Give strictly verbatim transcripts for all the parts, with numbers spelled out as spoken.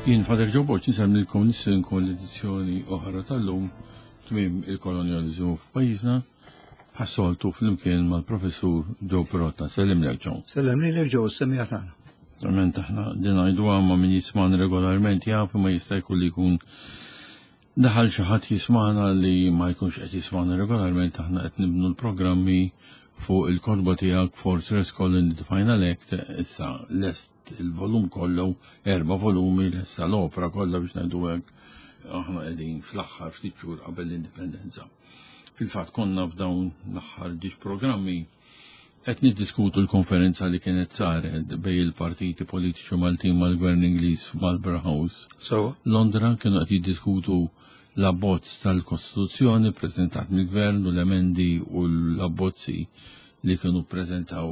Jien Father Joe Borg nsellmilkom, nistedinkom l-edizzjoni oħra tal-lum, tmiem il-kolonjaliżmu f'pajjiżna, bħas-soltu flimkien mal-professur Joe Pirotta. Sellimlek, Joe. Sellem lilek, Joe, semmiegħa tagħna. Verament aħna din ngħidu ma min jismana regolarment jaf, ma jista' jkun li jkun daħal xi ħadd jismana li ma jkunx qed jismana regolarment. Aħna qed nibnu l-programmi fuq il-kotba tiegħek Fortress Colony The Final Act. Issa lest il-volum kollu, erba' volumi, lesta l-opra kollha biex ngħidu hekk. Aħna qegħdin fl-aħħar ftit xhur qabel l-indipendenza. Fil-fatt konna f'dawn l-aħħar ġiex programmi qed niddiskutu l-konferenza li kienet saret bejn il-partiti politiċi Maltin mal-Gvern Ingliż f'Marlborough House. So, Londra. Kienu qed jiddiskutu l-abbozz tal-Kostituzzjoni preżentat mill-Gvern u l-emendi u l-abbozzi li kienu prezentaw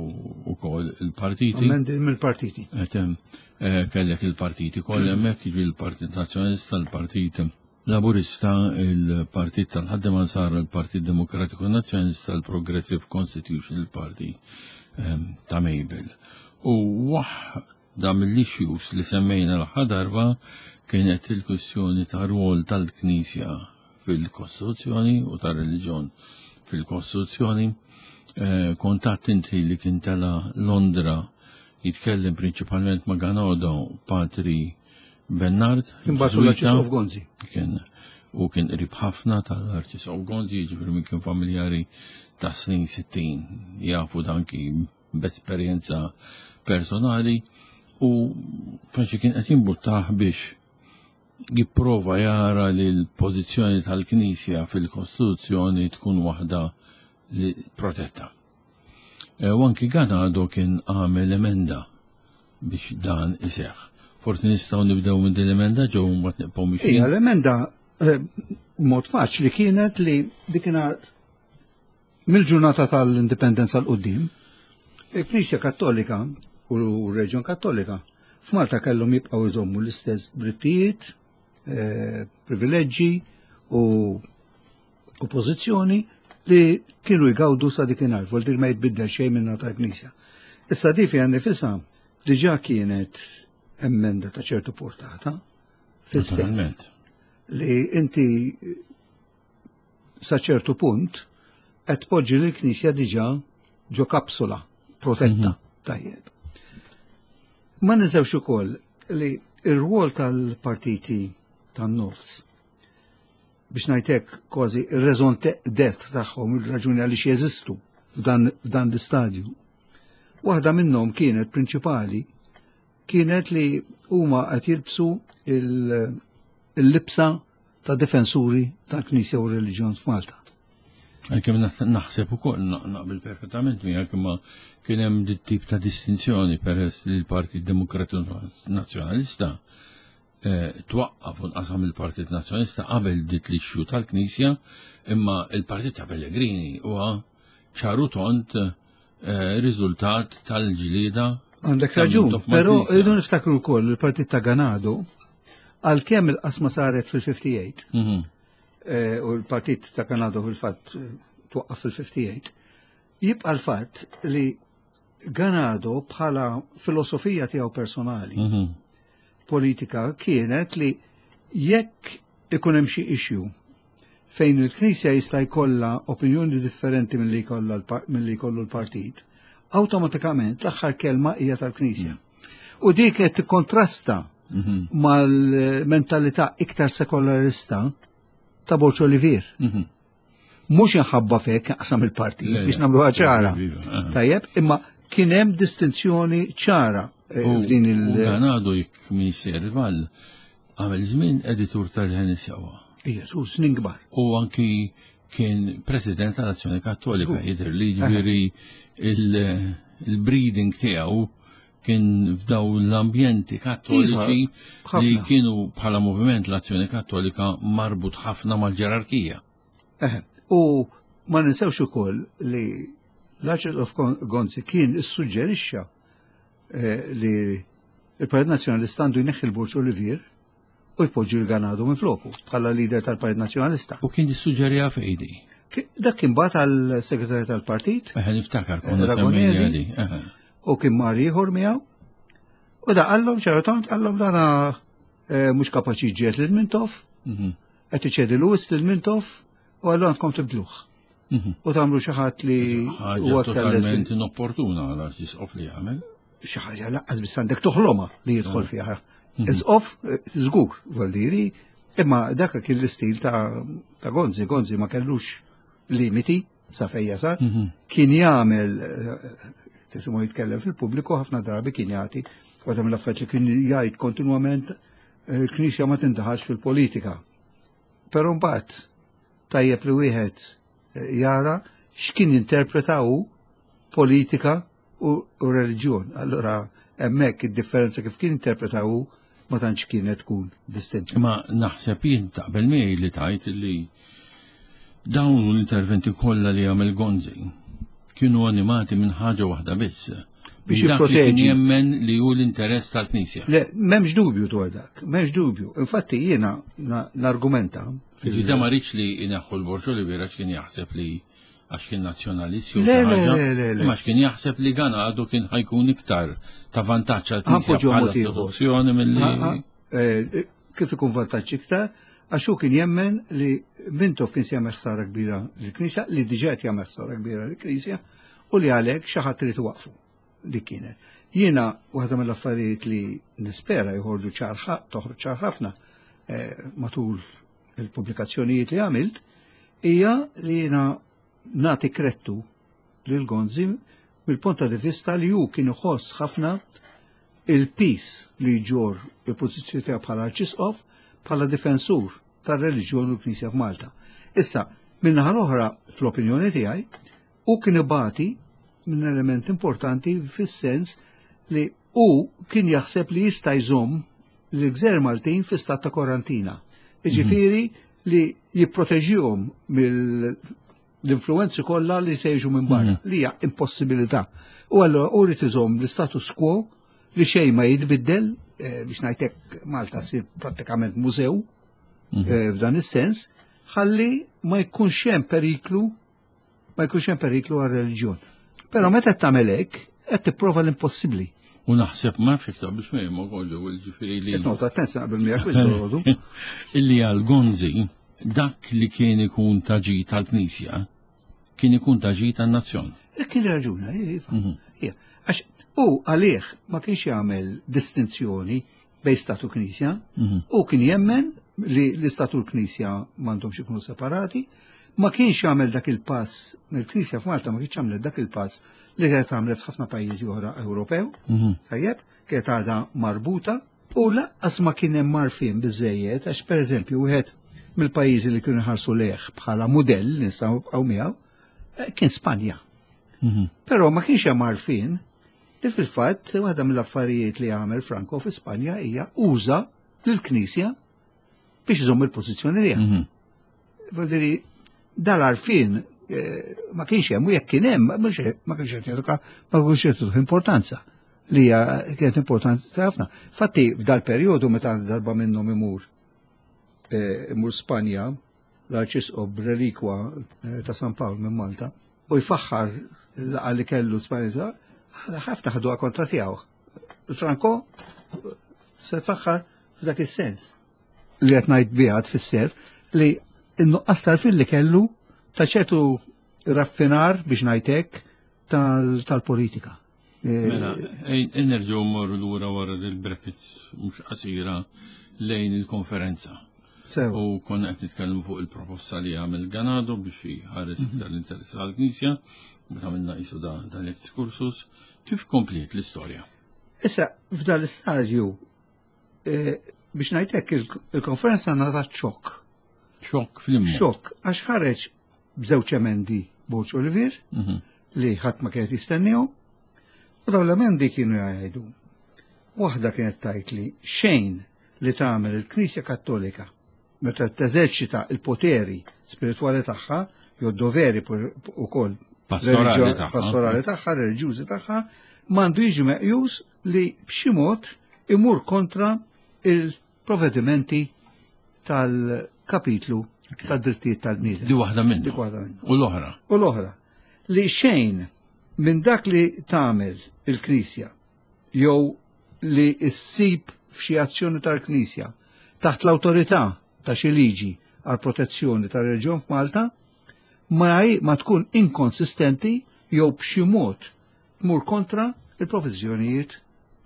ukoll il-partiti. Emendi mill-partiti. Et, eh, kellek il-partiti kollha hemmhekk, jiġi il-Partit Nazzjonalista, il-Partit Laburista, il-Partit tal-Ħaddiema Nsara, il-Partit Demokratiku Nazzjonalista, il-Progressive Constitutional Party ehm, ta' Mabel. U waħda mill-issues li semmejna l-aħħar darba kienet il-kwistjoni ta' rwol tal-Knisja fil-Kostituzzjoni u tar-reliġjon fil-Kostituzzjoni. Eh, kontat inti li kien tela Londra jitkellem prinċipalment ma' Ganado, Patri Bernard. Kien bagħtu l-Arċisqof Gonzi. Kien u kien qrib ħafna tal-Arċisqof Gonzi, ġifieri min kien familjari ta' snin sittin jafu dan kien b'esperjenza personali u faċi kien qed jimbuttah biex jipprova jara li l-pożizzjoni tal-Knisja fil-Kostituzzjoni tkun waħda li protetta. E, u anki Ganado kien għamel emenda biex dan iseħħ. Forsi nistgħu nibdew minn din l-emenda, Joe, mbagħad nibqgħu mixjin. Ija, l-emenda eh, mod faċli kienet li dikinhar mill-ġurnata tal-indipendenza 'l quddiem, il-Knisja Kattolika u r-Reġjon Kattolika f'Malta kellhom jibqgħu jżommu l-istess drittijiet, eh, privileġġi u u pożizzjoni li kienu jgawdu sa dikinhar, vol dir ma jitbiddel xejn minna tal-Knisja. Issa di fiha nifisha diġà kienet emenda ta' ċertu portata, fis-sens Naturalment. li inti sa ċertu punt qed tpoġġi lill-Knisja diġà ġo kapsula protetta. Tajjeb. Ma ninsewx ukoll li ir-rwol tal-partiti tan-nofs, biex ngħidlek kważi ir-raison d'être tagħhom, il-raġuni għaliex jeżistu f'dan f'dan l-istadju. Waħda minnhom kienet prinċipali kienet li huma qed jilbsu il- il-libsa ta' difensuri tal-Knisja u r-Reliġjon f'Malta. Għalkemm naħ- naħseb ukoll na- naqbel perfettament miegħek, imma kien hemm dit tip ta' distinzjoni peress li l-Partit Demokratiku Nazzjonalista eh, twaqqaf u nqasam il-Partit Nazzjonalista qabel dit l-issue tal-Knisja, imma il-Partit ta' Pellegrini huwa ċaru tond eh, riżultat tal-ġlieda Għandek ta' raġun, Mintoff però mal-Knisja. rridu niftakru wkoll il-partit ta' Ganado, għalkemm il-qasma saret fil-ħamsa u ħamsin Mhm. eh, u l-partit ta' Ganado fil-fatt eh, twaqqaf fil-ħamsa u ħamsin, jibqa' l-fatt li Ganado bħala filosofija tiegħu personali Mhm. politika kienet li jekk ikun hemm xi issue fejn il-Knisja jista' jkollha opinjoni differenti milli jkollha l-par- milli jkollu l-partit, awtomatikament l-aħħar kelma hija tal-Knisja. U dik qed tikkontrasta Mhm. mal-mentalità iktar sekolarista ta' Borg Olivier. Mhm. Mhux inħabba fek qasam il-partit Le, biex le. nagħmluha ċara. Iva, eh. Tajjeb, imma kien hemm distinzjoni ċara eh, U f'din u il- Ganado, jekk m'iniex żball, għamel żmien editur tal-Leħen is-Sewwa. Ija, su snin kbar. U anki kien president tal-Azzjoni Kattolika, Żgur. jidher li ġifieri il- il-breeding tiegħu kien f'daw l-ambjenti kattoliċi Iva, li ħafna. kienu bħala moviment l-Azzjoni Kattolika marbut ħafna mal-ġerarkija. Eħe, u ma ninsewx ukoll li l-Arċisqof Gonzi kien issuġġerixxa eh, li il-Partit Nazzjonalista għandu jneħħi l-Borg Olivier u jpoġġi l-Ganado minn floku bħala leader tal-Partit Nazzjonalista. U kien jissuġġerija fejdi. Ki- Dak kien bagħat għal segretarju tal-partit. Eħe, niftakar konna Ragonesi. semmejna di. Eħe. U kien mar ieħor miegħu. U da qallhom ċertant qallhom dana mhux kapaċi ġiet lil Mintoff, qed iċedi l-wis lil Mintoff u allura għandkom tibdluh. U tagħmlu xi ħadd li huwa totalment inopportuna għal arċisqof li jagħmel. Xi ħaġa laqqas biss għandek toħloma li jidħol fiha. Isqof żgur, vuol imma dak kien l-istil ta' Gonzi, Gonzi ma kellux limiti sa fejn jasal, kien jagħmel tisimgħu jitkellem fil-pubbliku ħafna drabi kien jagħti waħda mill-affarijiet li kien jgħid kontinwament il-Knisja ma tindaħalx fil-politika. Però mbagħad tajjeb li wieħed jara x'kien jinterpreta hu politika u reliġjon. Allura hemmhekk id-differenza kif kien interpreta hu ma tantx kienet tkun distinta. Ma naħseb jien taqbel miegħi li tajt li dawn l-interventi kollha li għamel Gonzi kienu animati minn ħaġa waħda biss. Biex jipproteġi. Jemmen li hu l-interess tal-Knisja. Le, m'hemmx dubju dwar dak, m'hemmx dubju. Infatti jiena nargumenta. Ġida ma rridx li jneħħu l-Borġ Olivier għax kien jaħseb li għax kien nazzjonalist jew Le, le, le, le. Ma kien jaħseb li Gana għadu kien ħajkun iktar ta' vantaġġ għall-Knisja bħala istituzzjoni milli. Kif ikun vantaġġ iktar? Għax hu kien jemmen li Mintoff kien se jagħmel ħsara kbira lill-Knisja, li diġà qed jagħmel ħsara kbira lill-Knisja, u li għalhekk xi ħadd irid iwaqqfu li kienet. Jiena waħda mill-affarijiet li nispera joħorġu ċar toħroġ ċar ħafna matul il-pubblikazzjonijiet li għamilt hija li jiena nagħti krettu lil Gonzi mill-punt di vista li hu kien iħoss ħafna il-pis li jġor il-pożizzjoni tiegħu bħala arċisqof bħala difensur tar-reliġjon u l-Knisja f'Malta. Issa, min-naħa l-oħra, fl-opinjoni tiegħi, hu kien ibati minn element importanti fis-sens li hu kien jaħseb li jista' jżomm l-gżejjer Maltin fi stat ta' karantina. Jiġifieri li jipproteġihom mill-influenzi kollha li se jiġu minn barra, li hija impossibilità. U allura hu rid iżomm l-status quo li xejn ma jitbiddel, biex ngħidlek Malta ssir prattikament mużew f'dan is-sens, ħalli ma jkunx hemm periklu, ma jkunx hemm periklu għar-reliġjon. Però meta qed tagħmel hekk, qed tipprova l-impossibbli. U naħseb ma nafx iktar biex ma jemma kollu, ġifieri li. Nota attenzja qabel miegħek biex Illi għal Gonzi dak li kien ikun ta' ġid tal-Knisja kien ikun ta' ġid tan-nazzjon. Kien raġuna, iva. Għax u għalih ma kienx jagħmel distinzjoni bejn statu Knisja, u kien jemmen li l-istatu l-Knisja m'għandhomx ikunu separati, ma kienx jagħmel dak il-pass, il-Knisja f'Malta ma kienx jagħmel dak il-pass li kienet għamlet f'ħafna pajjiżi oħra Ewropew, tajjeb, kienet għadha marbuta, u lanqas ma kien hemm marfin biżejjed, għax pereżempju wieħed mill-pajjiżi li kienu ħarsu lejh bħala mudell li nistgħu nibqgħu miegħu kien Spanja. Però ma kienx hemm għarfien li fil-fatt waħda mill-affarijiet li għamel Franco fi Spanja hija uża lill-Knisja biex iżomm il-pożizzjoni tiegħu. Vuol dire dal-għarfien ma kienx hemm u jekk kien hemm ma kienx qed jagħtuha ma kienx jagħtuh importanza li hija kienet importanti ħafna. Fatti f'dal-perjodu meta darba minnhom imur imur Spanja l-arċisqof b'relikwa ta' San Pawl minn Malta u jfaħħar l-laqgħa li kellu Spanja ħafna ħaduha kontra tiegħu. Franco se tfaħħar f'dak is-sens li qed ngħid biha tfisser li n-nuqqas tarfin li kellu ta' ċertu raffinar biex ngħidlek tal-politika. Mela, nerġgħu mmorru lura wara il-brackets mhux qasira lejn il-konferenza. U konna qed nitkellmu fuq il-proposta li għamel Ganado biex jħares iktar l-interess tal-Knisja, meta għamilna qisu dan l-excursus, kif kompliet l-istorja? Issa, f'dan l-istadju, biex ngħidlek il-konferenza ngħatat xokk. Xokk fl-imma. Xokk, għax ħareġ b'żewġ emendi Borg Olivier li ħadd ma kienet jistennihom, u dawn l-emendi kienu jgħidu. Waħda kienet tgħid li xejn li tagħmel il-Knisja Kattolika meta teżerċita il-poteri spiritwali tagħha jew doveri ukoll pastorali tagħha, reliġjużi tagħha, m'għandu jiġi meqjus li b'xi mod imur kontra il-provvedimenti tal-kapitlu tad-drittijiet tal-bniedem. Di waħda minnhom. Dik waħda minnhom. U l-oħra. U l-oħra. Li xejn minn dak li tagħmel il-Knisja jew li ssib f'xi azzjoni tal-Knisja taħt l-awtorità ta' xi liġi għal protezzjoni tal-reliġjon f'Malta ma, ma tkun inkonsistenti jew b'xi mod tmur kontra il-proviżjonijiet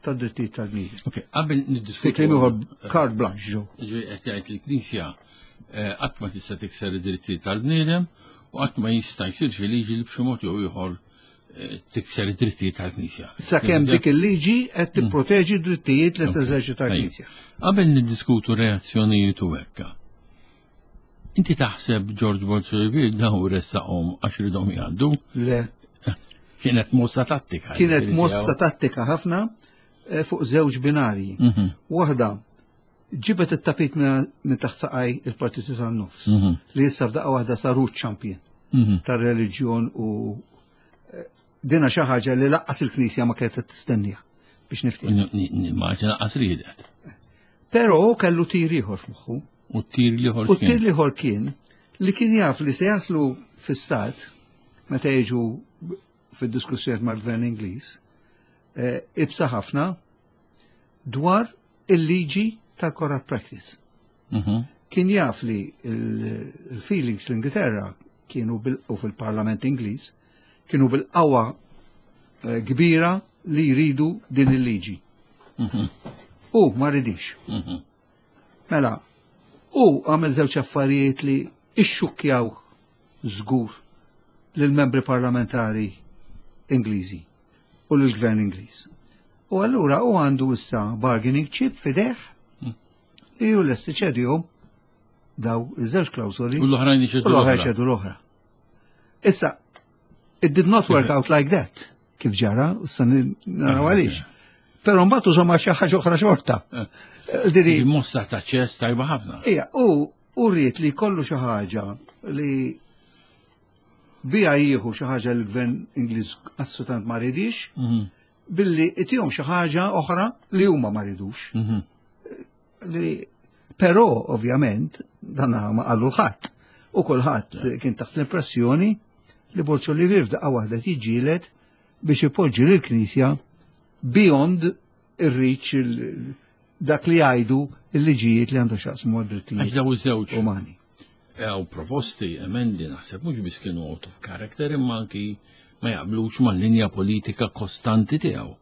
tad-drittijiet tal-bniedem. Ok, qabel niddiskutu. Fi kliem ieħor carte blanche ġew. Ġifieri qed jgħid il-Knisja eh, qatt ma tista' tikser id-drittijiet tal-bniedem u qatt ma jista' jsir xi liġi li b'xi mod jew ieħor eh, tikser id-drittijiet tal-Knisja. Sakemm dik il-liġi qed tipproteġi d-drittijiet li teżerċita l-Knisja. Qabel niddiskutu reazzjonijiet u hekka. Inti taħseb George Borg Olivier daw ressaqhom għax ridhom jgħaddu? Le. Kienet mossa tattika. Kienet mossa tattika ħafna eh, fuq żewġ binarji. Mhm. Waħda ġibet it-tapit minn taħt saqaj il-Partitu tan-Nofs Mhm. li issa f'daqqa waħda saru champion Mhm. tar-reliġjon u eh, dina xi ħaġa li lanqas il-Knisja ma kienet tistennija biex niftehmu. Nimmaġina qas riedet. Però kellu tir ieħor f'moħħu. U t-tir l-ieħor U t-tir l-ieħor kien li kien jaf li se jaslu fi-stat meta jiġu fid-diskussjoni mal-Gvern Ingliż eh, ibsa ħafna dwar il-liġi tal-corrupt practice. Mhm. Kien jaf li il-feelings fl-Ingilterra kienu bil u fil-Parlament Ingliż kienu bil-qawwa eh, kbira li jridu din il-liġi. U ma ridix. Mhm. Mela, u għamel żewġ affarijiet li ixxukkjaw żgur lill-membri parlamentari Ingliżi u lill-Gvern Ingliż. U allura u għandu issa bargaining chip f'idejh li ju lest iċedihom daw iż-żewġ klawsoli U l-oħrajn u iċedu l-oħra l-oħra. jċedu l-oħra. Issa, it did not work out like that, kif ġara, u sa naraw għaliex. Però mbagħad użhom xi ħaġa oħra xorta. Diri, Mossa ta' ċess tajba ħafna. Ija, u u rrid li kollu xi ħaġa li bija jieħu xi ħaġa li l-gvern Ingliż assolutament ma ridix, Mhm. billi itihom xi ħaġa oħra li huma ma ridux. Mhm. Li però ovvjament dan ma qallu ħadd. U kulħadd kien taħt l-impressjoni li Borg Olivier f'daqqa waħda tiġġieled biex ipoġġi lill-Knisja beyond ir-reach il- dak li jgħidu il-liġijiet li għandu x'jaqsmu Għax għad-drittijiet daw iż-żewġ umani. Għaw proposti, emendi, naħseb mhux biss kienu out of character imma anki ma jaqblux mal-linja politika kostanti tiegħu.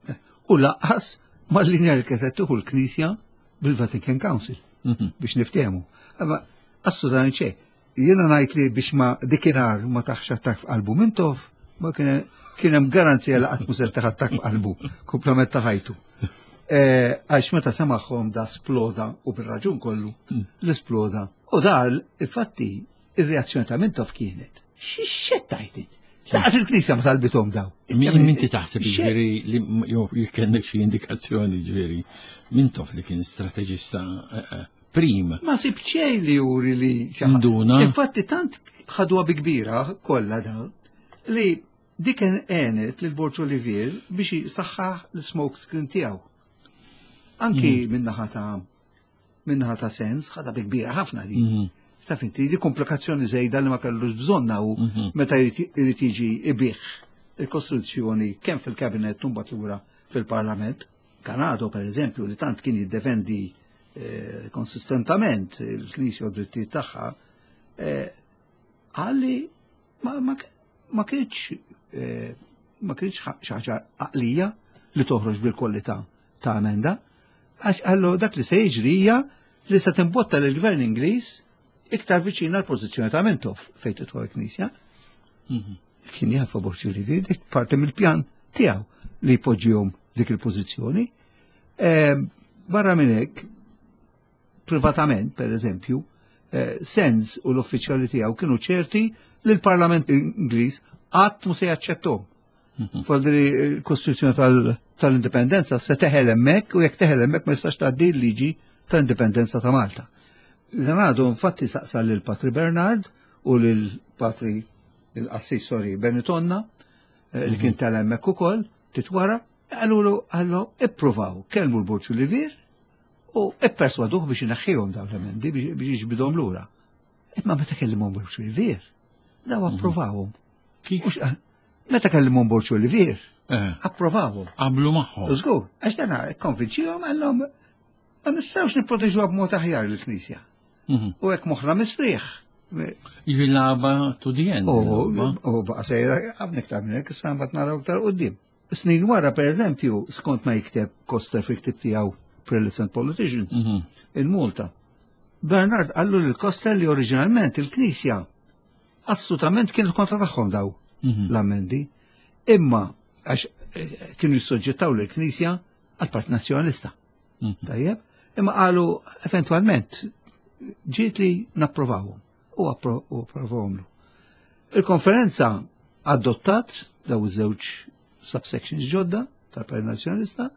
U lanqas mal-linja li kienet tieħu l-Knisja bil-Vatican Council Mhm. biex niftehmu. Imma assolutament xejn. Jiena ngħid li biex ma dikinhar ma tahx attakk f'qalbu Mintoff, ma kien kien hemm garanzija li qatt mhu se tah attakk f'qalbu komplement ta' ħajtu. Eh, Għax meta semagħhom da sploda u bir-raġun kollu l-sploda. U da infatti ir-reazzjoni ta' Mintoff kienet. X'xettajt? Lanqas il-Knisja ma talbithom daw. Min min ti taħseb Xe- ġifieri li jew jekk xi indikazzjoni ġifieri Mintoff li kien strateġista eh, eh, prim. Ma sib xejn li juri li xi ħadd- Induna. Infatti tant ħadwa bi kbira kollha da li dik għenet lil Borg Olivier biex jisaħħaħ l-smoke screen tiegħu. Anki minnaħa ta' minnaħa ta' sens ħadha bi kbira ħafna di. Mhm. Taf inti, di komplikazzjoni żejda li ma kellux bżonna u Mhm. meta jrid irid jiġi ibih il-Kostituzzjoni kemm fil-kabinet u mbagħad lura fil-Parlament. Ganado, per eżempju, li tant kien jiddefendi eh, konsistentament il-Knisja u d-drittijiet tagħha, eh, għalli ma, ma, ma kienx eh, ma kienx xi ħaġa għaqlija li toħroġ bil-kwalità ta' emenda, għax għallu dak li se jiġri hija li se timbotta lill-Gvern Ingliż iktar viċin għal pożizzjoni ta' Mintoff fejn tidħol il-Knisja. Mhm. Kien jaf Borg Olivier, dik parti mill-pjan tiegħu li jpoġġihom dik il-pożizzjoni. Eh, Barra minn hekk, privatament, per eżempju, eh, Sands u l-uffiċjali tiegħu kienu ċerti li l-Parlament Ingliż qatt mu se jaċċettom. Faldri il-Kostituzzjoni tal- tal-Indipendenza se teħel hemmhekk u jekk teħel hemmhekk ma jistax tgħaddi l-liġi tal-Indipendenza ta' Malta. Ganado infatti saqsa lil Patri Bernard u lil Patri il-qassis sorry Benitonna eh, li kien tal hemmhekk ukoll titwara qalulu qallu ippruvaw kellmu l-Borg Olivier u ipperswaduh biex ineħħihom dawn l-emendi biex biex jiġbidhom lura. Imma meta kellimhom Borg Olivier, daw approvawhom. Kif? Mhux qal- Meta kellimhom Borg Olivier, Eh, approvawhom. Qablu magħhom. Żgur, għax dana konvinċihom għallhom Ma nistgħux nipproteġuha b'mod aħjar lill-Knisja. Mhm. U hekk moħħna mistrieħ. Jiġi lagħba to the end. U baqa sejra ħafna iktar minn hekk, issa mbagħad naraw iktar quddiem. Snin wara, per eżempju, skont ma jikteb Koster fil-ktib tiegħu Prelates and Politicians, Mhm. in Malta. Bernard qallu lil Koster li oriġinalment il-Knisja assolutament kienu kontra tagħhom daw Mhm. l-ammendi. Imma għax eh, kienu jissoġġettaw l-Knisja għal-Partit Nazzjonalista. Mhm. Tajjeb, imma qalu eventualment ġiet li napprovawhom u appro- u approvawhom. Il-konferenza adottat daw iż-żewġ subsections ġodda tal-Partit Nazzjonalista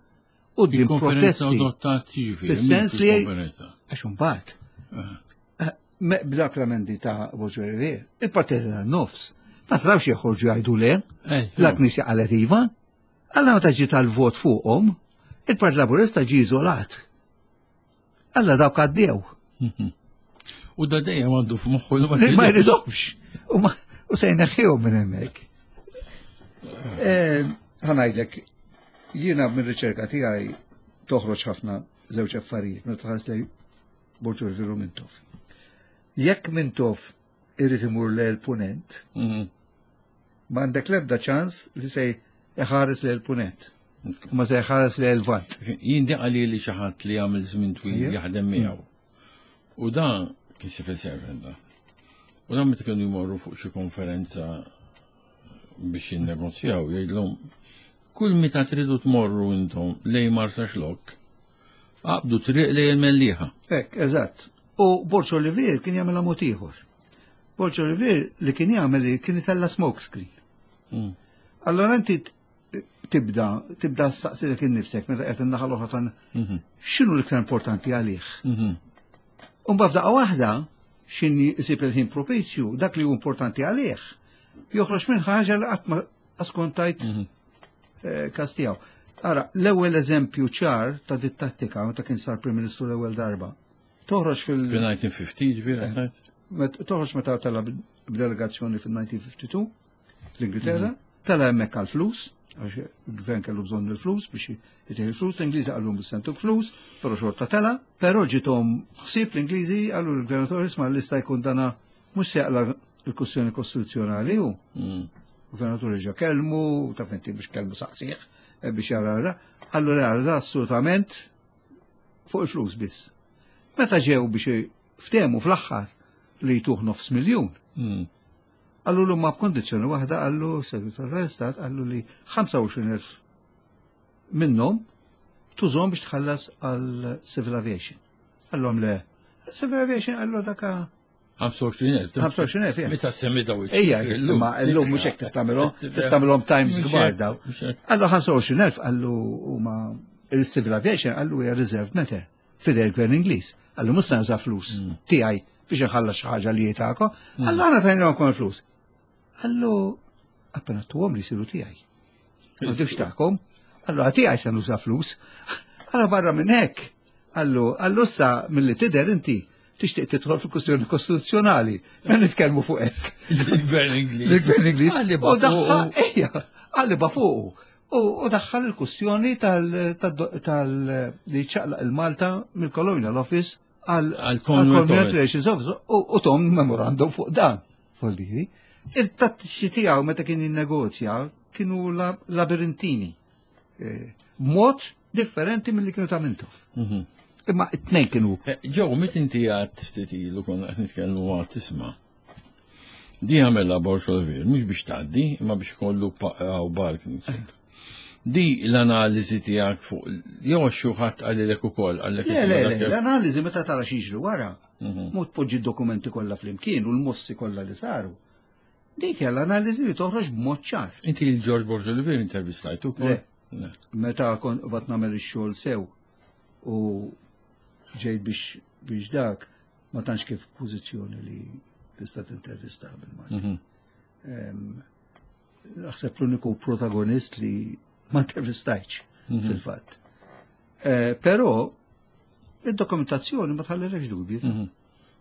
u din Il-konferenza protesti adottat jiġifieri. Fis-sens li- il-konferenza. għax imbagħad Ah. me- b'dak l-amendi ta' Borg Olivier, il-Partit tan-nofs ma trawx joħorġu jgħidu le, Eh, la Knisja qalet iva, alla meta ġiet tal-vot fuqhom, il-Partit Laburista ġie iżolat. Alla dawk għaddew. Mhm. U da dejjem għandu f'moħħu li Li ma jridhomx. U ma- U se jneħħihom minn hemmhekk. Eh, Ħa ngħidlek, jiena minn riċerka tiegħi toħroġ ħafna żewġ affarijiet meta tħares lejn Borg Olivier u Mintoff. Jekk Mintoff irid imur lejn il-punent, Mhm. ma għandek l-ebda ċans li se jħares lejn il-punent. Ma se jħares lejn il-vant. Jien di għali li xi ħadd li għamil żmien twil Ija. jaħdem miegħu. U dan kien civil servant da. U dan meta kienu jmorru fuq xi konferenza biex jinnegozjaw, jgħidlhom kull meta tridu tmorru intom lejn Marsaxlokk, aqbdu triq lejn il-Mellieħa. Hekk, eżatt. U Borg Olivier kien jagħmel mod ieħor. Borg Olivier li kien jagħmel li kien itella smoke screen. Mm. Allora inti t- tibda, tibda staqsilek innifsek meta qed in-naħa l-oħra tan Mhm. x'inhu l-iktar importanti għalih. Mhm. U mbagħad f'daqqa waħda x'in isib il-ħin propizju, dak li hu importanti għalih, joħroġ minn ħaġa li qatt ma askontajt Mhm. eh, kas tiegħu. Ara, l-ewwel eżempju ċar ta' dit tattika meta kien sar Prim Ministru l-ewwel darba. Toħroġ fil Fil-elf disa' mija u ħamsin ġifieri għedt? met- toħroġ meta tela b'delegazzjoni fil-elf disa' mija u tnejn u ħamsin l-Ingilterra, tela hemmhekk għall-flus, għax il-gvern kellu bżonn il-flus biex jitih il-flus, l-Ingliżi qallu mhux se ntuk flus, però xorta tela, però ġiethom ħsieb l-Ingliżi qalu l-gvernatur isma' l-lista jkun dana mhux se jaqla l-kwestjoni kostituzzjonali hu. Mm. Gvernatur ġa kelmu, taf inti biex kelmu saqsieħ, eh, biex jara da, qallu le da assolutament fuq il-flus biss. Meta ġew biex ftehmu fl-aħħar li jtuh nofs miljun, Mm. qallu l ma b'kondizzjoni waħda qallu segretar tal-Istat qallu li ħamsa u għoxrin elf minnhom tużhom biex tħallas għal civil aviation. Qallhom le, civil aviation qallu daka ħamsa u għoxrin elf. ħamsa u għoxrin elf, ja. Meta semmi daw Ejja, ma llum mhux hekk tagħmelhom, tagħmelhom times kbar daw. Qallu ħamsa u għoxrin elf qallu huma il-civil aviation qallu hija reserved matter fidel il-gvern Ingliż. Qallu mhux se nuża flus tiegħi biex nħallas xi ħaġa li jitako. Qallu aħna tajnilhom il-flus. Qallu appena tuhom li jsiru tiegħi. Ma dux tagħkom. Qallu tiegħi se nuża flus. Qallu barra minn hekk. Qallu qallu issa milli tidher inti tixtieq tidħol fil-kwestjoni kostituzzjonali. Ma nitkellmu fuq hekk. Il-gvern Ingliż. Il-gvern Ingliż. Għalli U daħħal, ejja, għalli fuqu. U u daħħal il-kwestjoni tal tal li ċaqlaq il-Malta mill-Colonial Office għal Għal Commonwealth Commonwealth Office. Relations Office u u tahom memorandum fuq dan. Voldiri. Il-tattiċi tiegħu meta kien jinnegozja kienu la- labirintini. Eh, Mod differenti mill-li kienu ta' Mintoff. Mhm. Imma it-tnejn kienu Ġew, mit inti għad ftit ilu konna qed nitkellmu għad tisma'. Di għamela Borg Olivier, mhux biex tgħaddi, imma biex kollu għaw bark. Di l-analiżi tiegħek fuq jew xi ħadd qalilek ukoll qalek Le, le, le, l-analiżi meta tara x'jiġri wara, Mhm. mod poġġi d-dokumenti kollha flimkien u l-mossi kollha li saru. Dik hija l-analiżi li toħroġ b'mod ċar. Inti l-George Borg Olivier intervistajtu ukoll? Le. Le. Meta kont bat nagħmel ix-xogħol sew u ġejt biex biex dak ma tantx kif pożizzjoni li tista' tintervista bil-Malti. Mhm. Em, Naħseb l-uniku protagonist li ma intervistajtx Mhm. fil-fatt. Eh, Però id-dokumentazzjoni ma tħallilekx dubji. Mhm.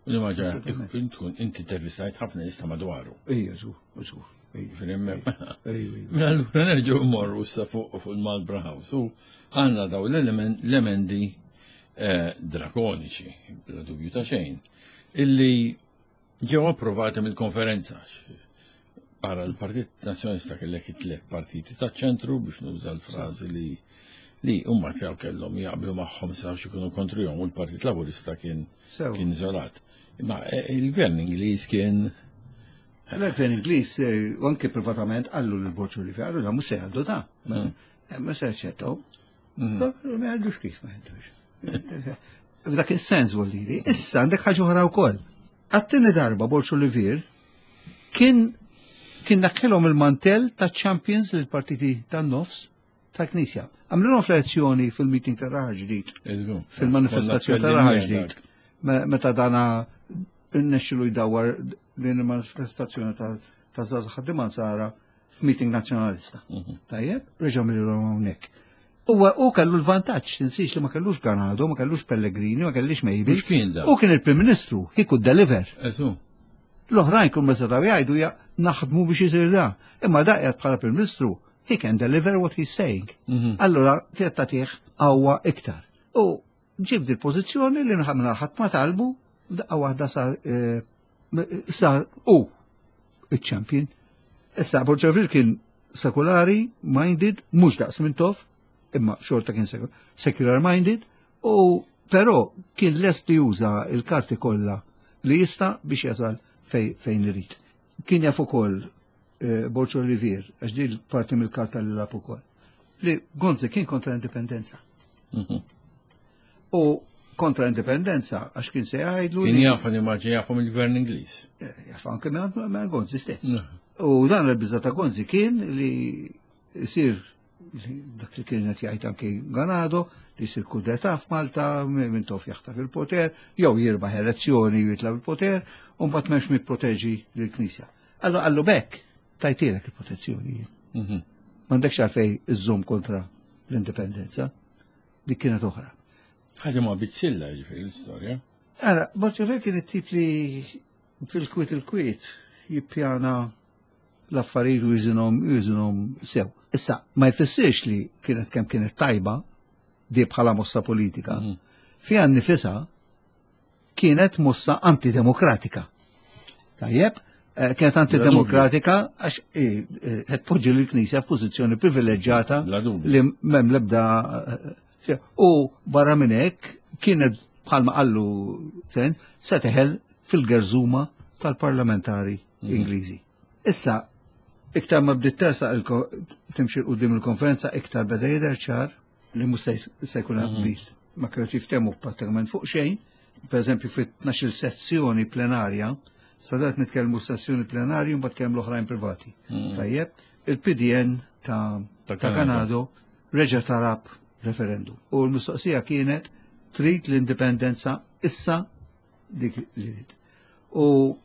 U li ma ġara, Assolutament. tkun inti intervistajt ħafna nies ta' madwaru. Ejja, żgur, żgur. Ejja, Fil-imma- ejja, ejja. Mela allura nerġgħu mmorru issa fuq fuq il-Marlborough House. U għandna daw l-emendi eh, drakoniċi, bla dubju ta' xejn, illi ġew approvati mill-konferenza. Barra l-Partit Nazzjonalista kellek it-tliet partiti ta' ċentru, biex nuża l-frażi li li huma tiegħu kellhom jaqblu magħhom sa ikunu kontrihom, u l-Partit Laburista kien kien iżolat. Imma eh, il-gvern Ingliż kien Il-gvern Ingliż eh, u anke privatament qallu lil Borg Olivier, qallu da mhux se jgħaddu da. Mm. Eh, ma se jaċċettaw. Mm. Ma jgħaddux kif ma jgħaddux. F'dak is-sens voldiri. Issa għandek ħaġa oħra wkoll. Għat-tieni darba Borg Olivier kien kien neħħielhom il-mantel ta' champions lil partiti tan-nofs tal-Knisja. Għamlilhom fl-elezzjoni fil-meeting ta' Raħal Ġdid, fil-manifestazzjoni ta' Raħal Ġdid, meta dana rnexxielu jdawwar din il-manifestazzjoni ta' żgħażagħ ħaddiema Nsara f'meeting nazzjonalista. Mhm. Tajjeb, reġgħu għamlilhom hawnhekk. Huwa u kellu l-vantaġġ, tinsiex li ma kellux Ganado, ma kellux Pellegrini, ma kellux Mejbel. U kien il-Prim Ministru, he could deliver. L-oħrajn kull ma setgħu jgħidu ja naħdmu biex isir da. Imma da qiegħed bħala Prim Ministru, he can deliver what he's saying. Mhm. Allura kienet tagħtih qawwa iktar. U ġib di pożizzjoni li nħamna ħadd ma talbu, daqqa waħda sar eh, sar u il-champion. Issa Borg Olivier kien sekulari, minded, mhux daqs Mintoff, imma xorta kien secular minded, u però kien lest li juża il-karti kollha li jista' biex jasal fejn irid. Kien jaf ukoll eh, Borg Olivier, għax di parti mill-karta li lagħab ukoll, li Gonzi kien kontra l-indipendenza. Mhm. U kontra l-indipendenza għax kien se jgħidlu. Kien jaf li ma jafhom il-gvern Ingliż. Eh, jaf anke minn Gonzi stess. U dan il-biża ta' Gonzi kien li jsir dak li kien qed jgħid anke Ganado, li jsir kudeta f'Malta, Mintoff jaħtaf il-poter, jew jirbaħ elezzjoni u jitla' il-poter, u mbagħad m'hemmx min jipproteġi lill-Knisja. Allura qallu bekk tajtilek il-protezzjoni. Mhm. M'għandekx għalfejn iżżomm kontra l-indipendenza. Dik kienet oħra. Ħaġa ma bizzilla ġifieri l-istorja. Ara, Borg kien it-tip li fil-kwiet il-kwiet jippjana l-affarijiet u jiżinhom jiżinhom sew. Issa, ma jfissirx li kienet kemm kienet tajba di bħala mossa politika. Mhm. Fiha nifisha kienet mossa antidemokratika. Tajjeb, eh, kienet antidemokratika għax eh, eh, qed poġġi l-Knisja f'pożizzjoni privileġġjata li m'hemm l-ebda u barra minn hekk kienet bħalma qallu sen se teħel fil-gerżuma tal-parlamentari mhm. Ingliżi. Issa, iktar ma bdiet tersaq timxi quddiem il-konferenza, iktar beda jidher ċar li mhux se jkun mhm. qbil. Ma kienu jiftehmu prattikament fuq xejn, per eżempju fit-tnax-il sessjoni plenarja, sadat nitkellmu sessjoni plenarju mbagħad kemm l-oħrajn privati. Mhm. Tajjeb, il-P D N ta' ta' Ganado reġa' talab referendum. U l-mistoqsija kienet trid l-indipendenza issa dik li trid. U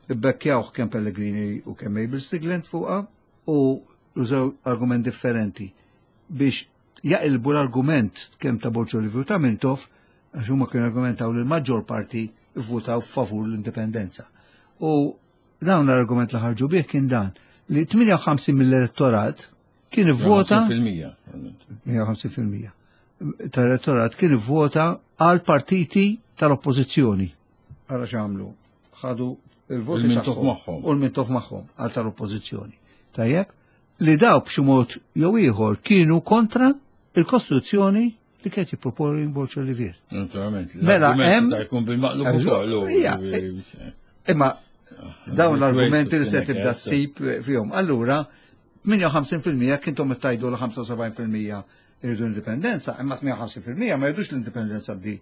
bbekkjawh kemm Pellegrini u kemm Mabel Stiglent fuqha u użaw argument differenti biex jaqilbu l-argument kemm ta' Borg Olivier u ta' Mintoff, għax huma kienu argumentaw li l-maġġor parti vvotaw favur l-indipendenza. U dawn l-argument li ħarġu bih kien dan li tmienja u ħamsin mill-elettorat kien ivvota tmienja u ħamsin fil-mija tal-elettorat kien ivvota għal partiti tal-oppożizzjoni. Ara x'għamlu, ħadu il-voti magħhom. U l-Mintoff magħhom għal tal-oppożizzjoni. Tajjeb, li daw b'xi mod jew ieħor kienu kontra il-Kostituzzjoni li kienet jipproponi Borg Olivier. Naturalment. Mela hemm jkun bil-maqlub ukoll. Imma dawn l-argumenti li se tibda ssib fihom. Allura, tmienja u ħamsin fil-mija kintom tajdu l-ħamsa u sebgħin fil-mija irridu l-indipendenza, imma tmienja u ħamsin fil-mija ma jridux l-indipendenza bdi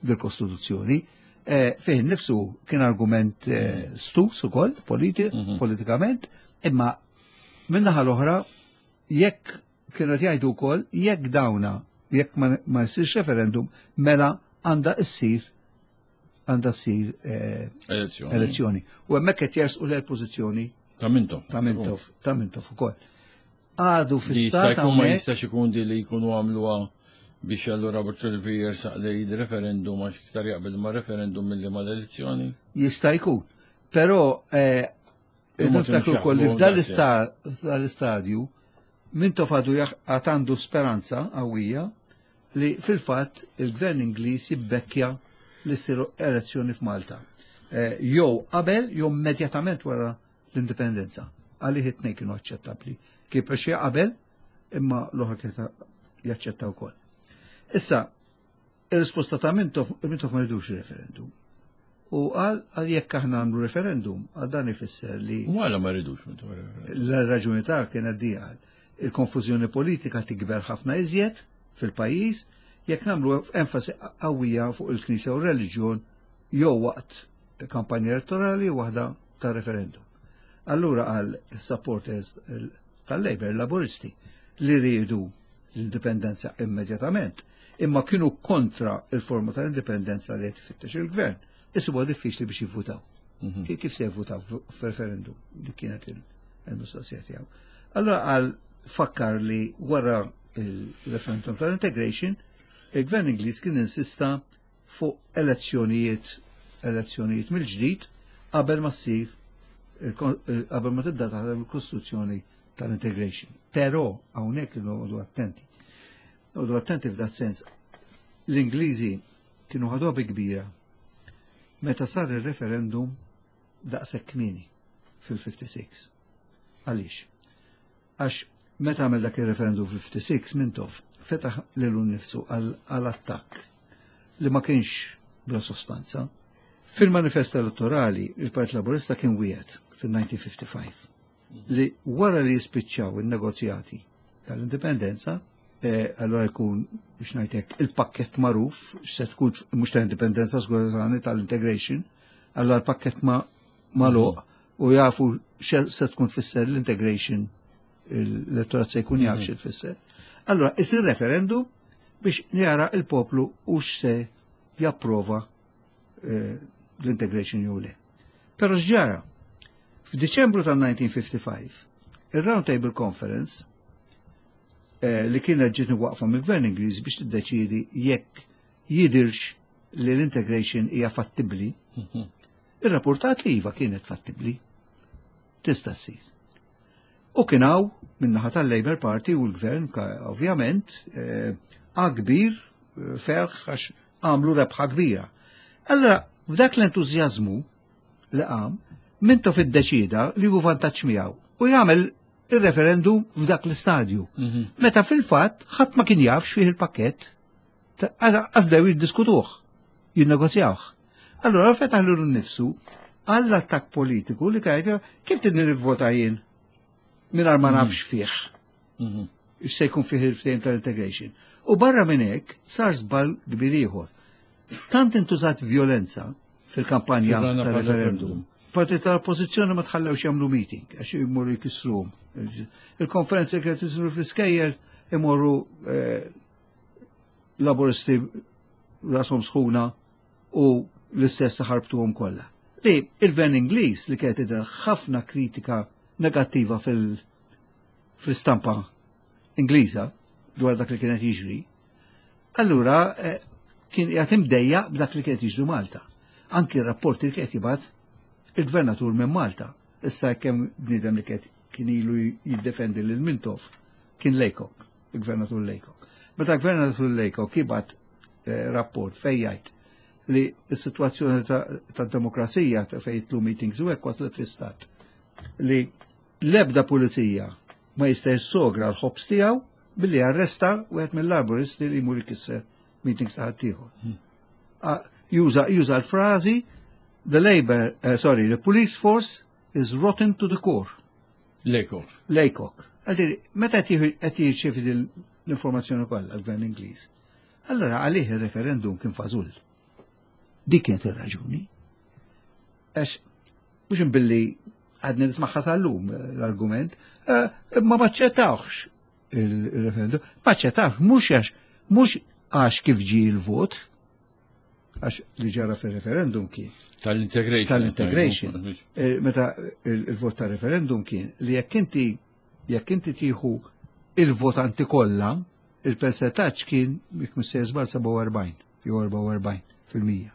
bil-Kostituzzjoni. Eh, fih nifsu kien argument eh, stus ukoll mhm. politikament, imma minnaħa l-oħra jekk kienu jgħidu wkoll jekk dawna jekk ma jsirx referendum mela għandha issir għandha ssir eh, elezzjoni. U hemmhekk qed jersqu l-pożizzjoni ta' Mintoff. Ta' Mintoff, ta' Mintoff ukoll. Għadu fi-stat. Ma jistax ikun di li jkunu għamluha biex allura Borg Olivier jersaq lejn referendum għax iktar jaqbel ma' referendum milli ma' l-elezzjoni? Jista' jkun. Però eh, niftakru wkoll li f'dan l-istadju Mintoff għadu għandu speranza qawwija li fil-fatt il-gvern Ingliż jibbekkja li ssiru elezzjoni f'Malta. Eh, jew qabel jew immedjatament wara l-indipendenza. Għalih it-tnejn kienu aċċettabbli. Kif xi qabel, imma l-oħra kienet jaċċetta wkoll. Issa, ir-risposta ta' Mintoff, Mintoff ma jridux referendum. U għal għal jekk aħna għamlu referendum, għal dan ifisser li U għala ma rridux Mintoff referendum. l-raġuni ta' kienet di għal. Il-konfużjoni politika tikber ħafna iżjed fil-pajjiż jekk nagħmlu enfasi qawwija fuq il-Knisja u r-reliġjon jew waqt kampanja elettorali u waħda ta' referendum. Allura għal supporters tal-Labour, Laburisti, li rridu l-indipendenza immedjatament, imma kienu kontra il-forma tal-indipendenza li qed ifittex il-gvern. Isibuha diffiċli biex jivvutaw. Kif kif se jivvutaw f'referendum? Dik kienet il- il-mistoqsija tiegħu. Allora għal fakkar li wara il-referendum tal-integration, il-gvern Ingliż kien insista fuq elezzjonijiet elezzjonijiet mill-ġdid qabel ma ssir il-kon- il- qabel ma tibda taħdem il-Kostituzzjoni tal-integration. Però hawnhekk noqogħdu attenti. Noqogħdu attenti f'dat sens. L-Ingliżi kienu ħaduha bi kbira meta sar il-referendum daqshekk kmieni fil-ħamsa u ħamsin. Għaliex? Għax meta għamel dak il-referendum fil-ħamsa u ħamsin Mintoff fetaħ lilu nnifsu għal-attakk li ma kienx bla sostanza. Fil-manifest elettorali, il-Partit Laburista kien wiegħed fil-elf disa' mija u ħamsa u ħamsin li wara li jispiċċaw il-negozjati tal-indipendenza, eh, allora jkun biex ngħidlek il-pakket magħruf, se tkun mhux tal-indipendenza skużani tal-integration, allora l-pakket ma magħluq u jafu se tkun tfisser l-integration, l-elettorat se jkun jaf xi tfisser. Allora, isir referendum biex jara il-poplu u se japprova eh, l-integration jew le. Però x'ġara, f'Diċembru tal-elf disa' mija u ħamsa u ħamsin, il-Round Table Conference eh, li kienet ġiet waqfa mill-Gvern Ingliż biex tiddeċiedi jekk jidirx li l-integration hija fattibli, ir-rapportat li iva kienet fattibli. Tista' ssir. U kien hawn min-naħa tal-Labour Party u l-Gvern, ovvjament, eh, kbir, eh, ferħ għax għamlu rebħa kbira. Allora, f'dak l-entużjażmu li qam, Mintoff iddeċida li hu vantaġġ miegħu u jagħmel il-referendum f'dak l-istadju. Mhm. Meta fil-fatt ħadd ma kien jaf x'fih il-pakkett, għax bdew jiddiskutuh, jinnegozjawh. Allora fetaħ lilu nnifsu għall-attakk politiku li kajt kif tidni nivvota jien mingħajr ma nafx fih. Mhm. Se jkun fih il-ftehim tal-integration. U barra minn hekk sar żball kbir ieħor. Tant intużat violenza fil-kampanja tal-referendum. Parti tal-oppożizzjoni ma tħallewx jagħmlu meeting għax jmorru jkissruhom. Il-konferenza kienet isiru fl-iskejjel imorru eh, Laburisti rashom sħuna u l-istess ħarbtuhom kollha. Li il-Gvern Ingliż li kienet idher ħafna kritika negattiva fil-istampa Ingliża dwar dak li kienet jiġri, allura eh, kien qiegħed imdejjaq b'dak li kienet jiġri Malta. Anki r-rapporti li kienet jibgħat il-gvernatur minn Malta. Issa kemm bniedem li kien kien ilu jiddefendi lil Mintoff kien Laycock, il-gvernatur Laycock. Meta gvernatur Laycock jibgħat eh, rapport fejn jgħid li s-situazzjoni ta' demokrazija ta' fejn jitlu meetings u hekk waslet fi stat li l-ebda pulizija ma jista' jissogra l-ħobs tiegħu billi arresta wieħed mill-Laburisti li jmur ikisser meetings ta' ħaddieħor. Hmm. Juża juża l-frażi "The Labour, uh, sorry, the police force is rotten to the core." Laycock. Laycock. Għalli, meta qed jirċievi l-informazzjoni kollha l-Gvern Ingliż. Allora għalih il-referendum kien fażull. Dik kienet ir-raġuni. Għax mhux billi għadni nismagħha sal-lum l-argument, eh, ma maċċettawx il-referendum, maċċettawx mhux għax mhux għax kif ġi il-vot, għax li ġara fil-referendum kien. Tal-integration. Tal-integration. Eh, meta il-vot tal-referendum kien li jekk inti jekk inti tieħu il-votanti kollha, il-percentaġġ kien jekk mhux żball sebgħa u erbgħin jew erbgħa u erbgħin fil-mija.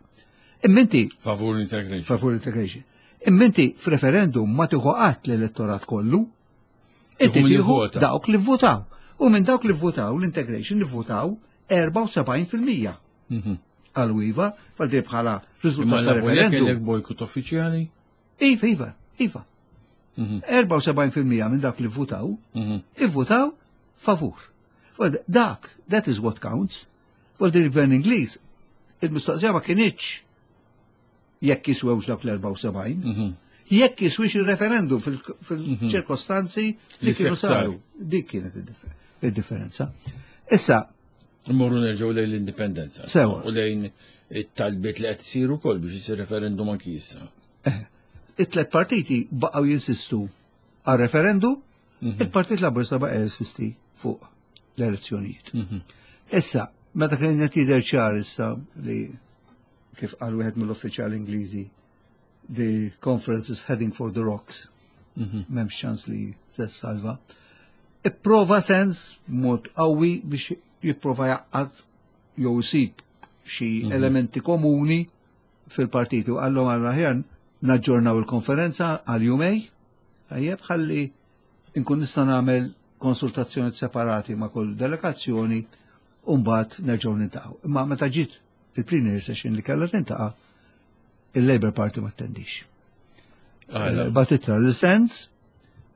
Imma inti Favur integration. Favur integration. Imma inti f'referendum ma tieħu qatt l-elettorat kollu, inti tieħu dawk li votaw. U minn dawk li votaw l-integration li votaw erbgħa u sebgħin fil-mija Mhm. għal iva, fal bħala Imma riżultat ta' la referendum. kellek bojkot uffiċjali? Iva, iva, iva. Mhm. erbgħa u sebgħin fil-mija minn dak li votaw, Mhm. ivvotaw favur. Well, dak, that is what counts. Well, il-gvern Ingliż, il-mistoqsija ma kinitx jekk jiswewx dak l-erbgħa u sebgħin, Mhm. jekk jiswix il-referendum fil-ċirkostanzi li Li kienu fih sar. saru. Dik kienet id-differ- il-differenza. Issa, Mmorru nerġgħu lejn l-indipendenza. Sewa. U lejn it-talbiet li qed isiru wkoll biex isir referendum anki issa. It-tlet partiti baqgħu jinsistu għal referendum, il-Partit Laburista baqa' jinsisti fuq l-elezzjonijiet. Mhm. Issa, meta kien qed jidher ċar issa li, kif qal wieħed mill-uffiċjali Ingliżi, "the conference is heading for the rocks", Mhm. m'hemmx ċans li se salva. Ipprova Sands mod qawwi biex jipprova jgħaqqad jew isib xi elementi komuni fil-partitu. Għallhom għal aħjar naġġornaw il-konferenza għal jumejn, tajjeb, ħalli inkun nista' nagħmel konsultazzjoni separati ma' kull delegazzjoni u mbagħad nerġgħu niltaqgħu. Imma meta ġiet il-plenary session li kellha tintaqa', il-Labour Party ma attendix. Għala. Bagħat ittra lil Sands,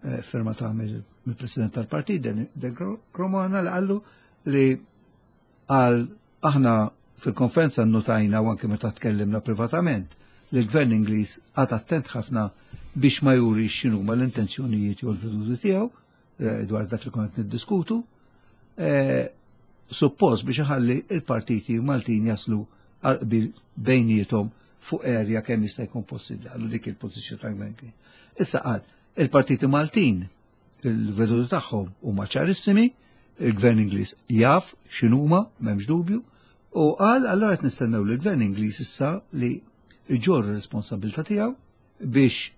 eh, firmata mill-President tal-Partit, Dan Dan Cremona, li qallu li għal aħna fil-konferenza notajna u anke meta tkellimna privatament li l-Gvern Ingliż qagħad attent ħafna biex ma juri x'inhuma l-intenzjonijiet jew l-veduti tiegħu eh, dwar dak li kont niddiskutu. Eh, Suppost biex iħalli il-partiti Maltin jaslu għal qbil bejniethom fuq area kemm jista' jkun possibbli, għallu dik il-pożizzjoni tal-Gvern. Issa qal, il-partiti Maltin il-veduti tagħhom huma ċarissimi, il-Gvern Ingliż jaf x'inhuma, m'hemmx dubju, u qal allura qed nistennew li l-Gvern Ingliż issa li jġorr ir-responsabilità tiegħu biex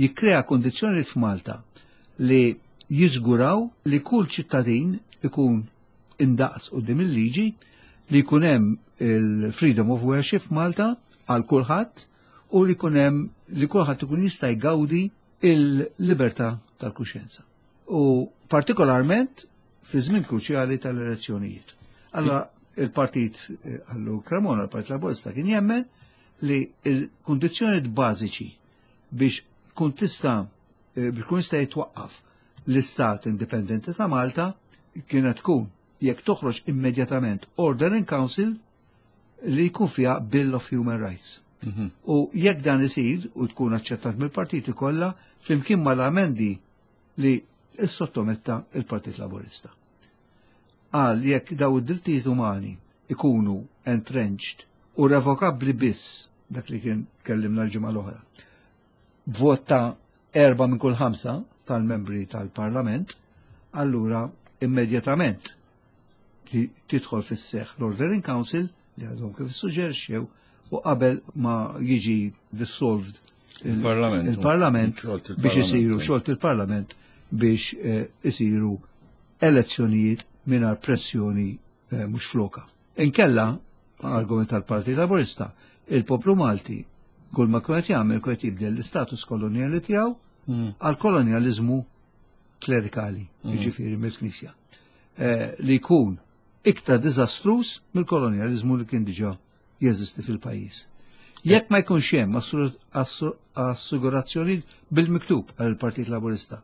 jikkrea kondizzjonijiet f'Malta li jiżguraw li kull ċittadin ikun indaqs quddiem il-liġi, li jkun hemm il-freedom of worship f'Malta għal kulħadd u li jkun hemm li kulħadd ikun jista' jgawdi il-libertà tal-kuxjenza. U partikolarment fi żmien kruċjali tal-elezzjonijiet. Allora il-partit, eh, għallu Cremona, il-Partit Laburista kien jemmen li il-kondizzjonijiet bażiċi biex kun tista' eh, biex kun jista' jitwaqqaf l-Istat Indipendenti ta' Malta kienet tkun jekk toħroġ immedjatament Order in Council li jkun fiha Bill of Human Rights. Mhm. U jekk dan isir u tkun aċċettat mill-partiti kollha flimkien mal-amendi li sottometta il-Partit Laburista. Għal jekk daw id-drittijiet umani ikunu entrenched u revokabbli biss, dak li kien kellimna l-ġimgħa l-oħra, b'vot ta' erba' minn kull ħamsa tal-membri tal-Parlament, allura immedjatament ti- tidħol fis-seħ l-Order in Council li għadhom kif suġġerxew u qabel ma jiġi dissolved il- Il-Parlament. il-Parlament Xolt il-Parlament. biex isiru xolt il-Parlament biex eh, isiru elezzjonijiet mingħajr pressjoni eh, mhux floka. Inkella, argument tal-Partit Laburista, il-poplu Malti kull ma kien jagħmel kien jibdel l-istatus kolonjali tiegħu Mm. għal kolonjaliżmu klerikali, jiġifieri mill-Knisja, eh, li jkun iktar diżastruż mill-kolonjaliżmu li kien diġà jeżisti fil-pajjiż. Jekk ma jkunx hemm assur- assur- assigurazzjoni bil-miktub għal Partit Laburista